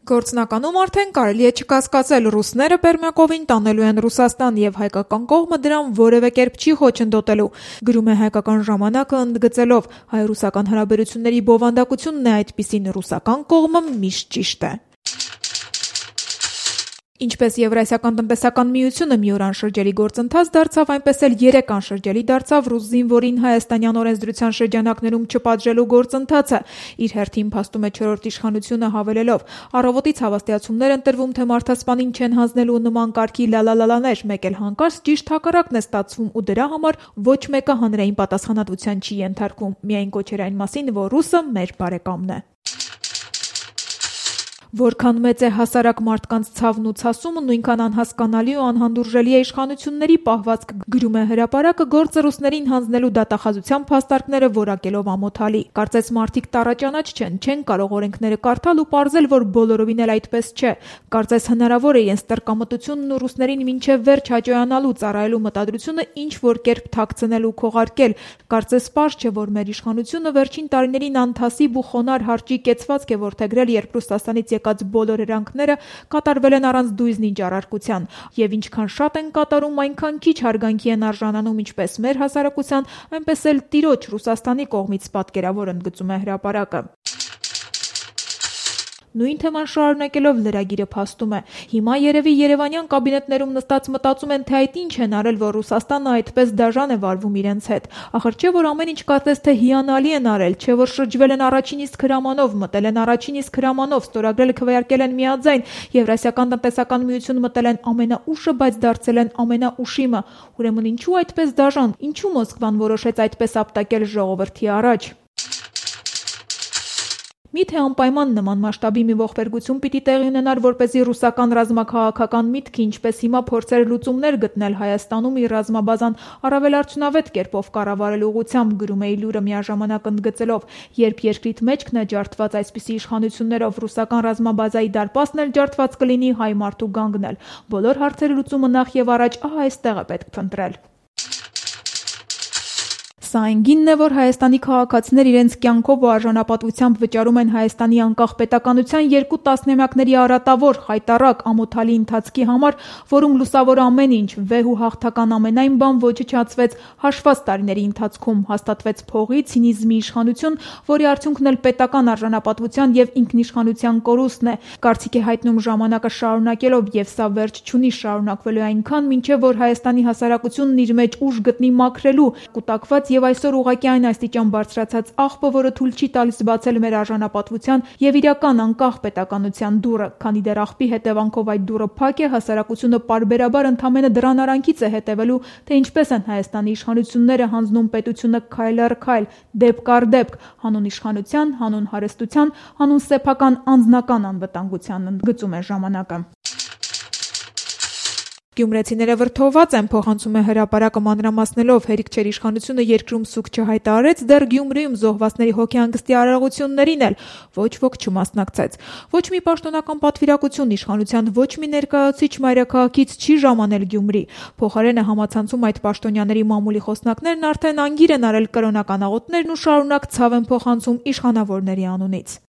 Գործնականում արդեն կարելի է չկասկածել, ռուսները Պերմյակովին տանելու են Ռուսաստան և հայկական կողմը դրան որևէ կերպ չի խոչընդոտելու, գրում է հայկական ժամանակը ընդգծելով՝ հայ-ռուսական հարաբերությունների բովանդակությունն է այդպիսին, ռուսական կողմը միշտ ճիշտ է։ Ինչպես Եվրասիական տնտեսական միությունը մի օր անշրջելի գործընթաց դարձավ, այնպես էլ 3 անշրջելի դարձավ ռուս զինվորին հայաստանյան օրենսդրության շրջանակներում չպատժելու գործընթացը։ Իր հերթին փաստում է չորրորդ իշխանությունը հավելելով՝ առավոտից հավաստիացումներ են տրվում, թե մարդասպանին չեն հանձնելու նման կարգի լալալալաներ, մեկ էլ հանկարծ ճիշտ հակառակն է ստացվում ու դրա համար ոչ մեկը հանրային պատասխանատվության չի ենթարկվում։ Միայն կոչեր այն մասին, որ ռուսը մեր բարեկամն է։ Որքան մեծ է հասարակ մարդկանց ցավն ու ցասումը, նույնքան անհասկանալի ու անհանդուրժելի է իշխանությունների պահվածքը, գրում է Հրապարակը, գործը ռուսներին հանձնելու դատախազության փաստարկները որակելով ամոթալի։ Կարծես մարդիկ տառաճանաչ չեն կարող օրենքները կարդալ ու պարզել, որ բոլորովին էլ այդպես չէ։ Կարծես հնարավոր է իրենց տրկամտությունն ու ռուսներին մինչև վերջ հաճոյանալու ծառայելու մտադրությունը ինչ-որ կերպ թաքցնել ու քողարկել։ Կարծես պարզ չէ, որ մեր իշխանությունը վերջին տարիներին անթասիբ ու խոնարհ հարճի կեցվածք է որդեգրել, երբ Ռուսաստանից եկած բոլոր հրանքները կատարվել են առանց դույզնի ճարարկության, եւ ինչքան շատ են կատարում, այնքան քիչ հարգանքի են արժանանում ինչպես մեր հասարակության, այնպես էլ տիրոջ Ռուսաստանի կողմից, պատկերավոր ընդգծում է Հրապարակը։ Նույն թեման շարունակելով լրագիրը փաստում է. հիմա երևի երևանյան կաբինետներում նստած մտածում են, թե այդ ինչ են արել, որ Ռուսաստանը այդպես դաժան է վարվում իրենց հետ։ Ախր չէ, որ ամեն ինչ կարծես թե հիանալի են արել, չէ, որ շրջվել են առաջին իսկ հրամանով, մտել են առաջին իսկ հրամանով, ստորագրել քվեարկել են միաձայն, Եվրասիական տնտեսական միություն մտել են ամենաուշը, բայց դարձել են ամենաուշիմը։ Ուրեմն ինչու այդպես դաժան, ինչու Մոսկվան որոշեց այդպես ապտակել ժողովրդի առաջ։ Միթե անպայման նման մասշտաբի մի ողբերգություն պիտի տեղի ունենար, որպեսզի ռուսական ռազմաքաղաքական միտքը, ինչպես հիմա փորձեր լուծումներ գտնել Հայաստանում իր ռազմաբազան առավել արդյունավետ կերպով կառավարելու ուղղությամբ, գրում է Իլուրը միաժամանակ ընդգծելով, երբ երկրիդ մեջքն է ջարդված այսպիսի իշխանություններով, ռուսական ռազմաբազայի դարպասն էլ ջարդված կլինի հայ մարդու գանգն էլ։ Բոլոր հարցերի լուծումը նախ եւ առաջ ահա այստեղ է պետք փնտրել։ Սա այն գինն է, որ Հայաստանի քաղաքացիներ իրենց կյանքով ու արժանապատվությամբ վճարում են Հայաստանի անկախ պետականության 2 տասնամյակների արատավոր, խայտառակ, ամոթալի ընթացքի համար, որում լուսավոր ամեն ինչ, վեհ ու հաղթական ամենայն բան ոչնչացվեց հաշված տարիների ընթացքում, հաստատվեց փողի, ցինիզմի իշխանություն, որի արդյունքն էլ պետական արժանապատվության եւ ինքնիշխանության կորուստն է, կարծիք է հայտնում ժամանակը շարունակելով, եւ սա վերջ չունի շարունակվելու այնքան, մինչեւ որ Հայաստանի հասարակությունն իր մեջ ուժ գտնի մաքրելու, կուտակված եւ այսօր ուղղակի այն աստիճան բարձրացած աղբը, որը թույլ չի տալիս բացել մեր արժանապատվության եւ իրական անկախ պետականության դուռը, քանի դեռ աղբի հետևանքով այդ դուռը փակ է, հասարակությունը պարբերաբար ընդամենը դրան արանքից է հետևելու, թե ինչպես են Հայաստանի իշխանությունները հանձնում պետությունը քայլ առ քայլ, դեպք առ դեպք, հանուն իշխանության, հանուն հարստության, հանուն սեփական անձնական անվտանգության, ընդգծում է ժամանակը։ Գյումրեցիները վրդովված են, փոխանցում է Հրապարակը մանրամասնելով, հերիք չէր իշխանությունը երկրում սուկ չհայտարարեց, դեռ Գյումրիում զոհվածների հոգեհանգստի արարողություններին էլ ոչ ոք չմասնակցեց։ Ոչ մի պաշտոնական պատվիրակություն իշխանության ոչ մի ներկայացուցիչ մայրաքաղաքից չի ժամանել Գյումրի։ Փոխարենը համացանցում այդ պաշտոնյաների մամուլի խոսնակներն արդեն անգիր են արել կրոնական աղոթներն ու շարունակ ցավ են փոխանցում իշխանավորների անունից։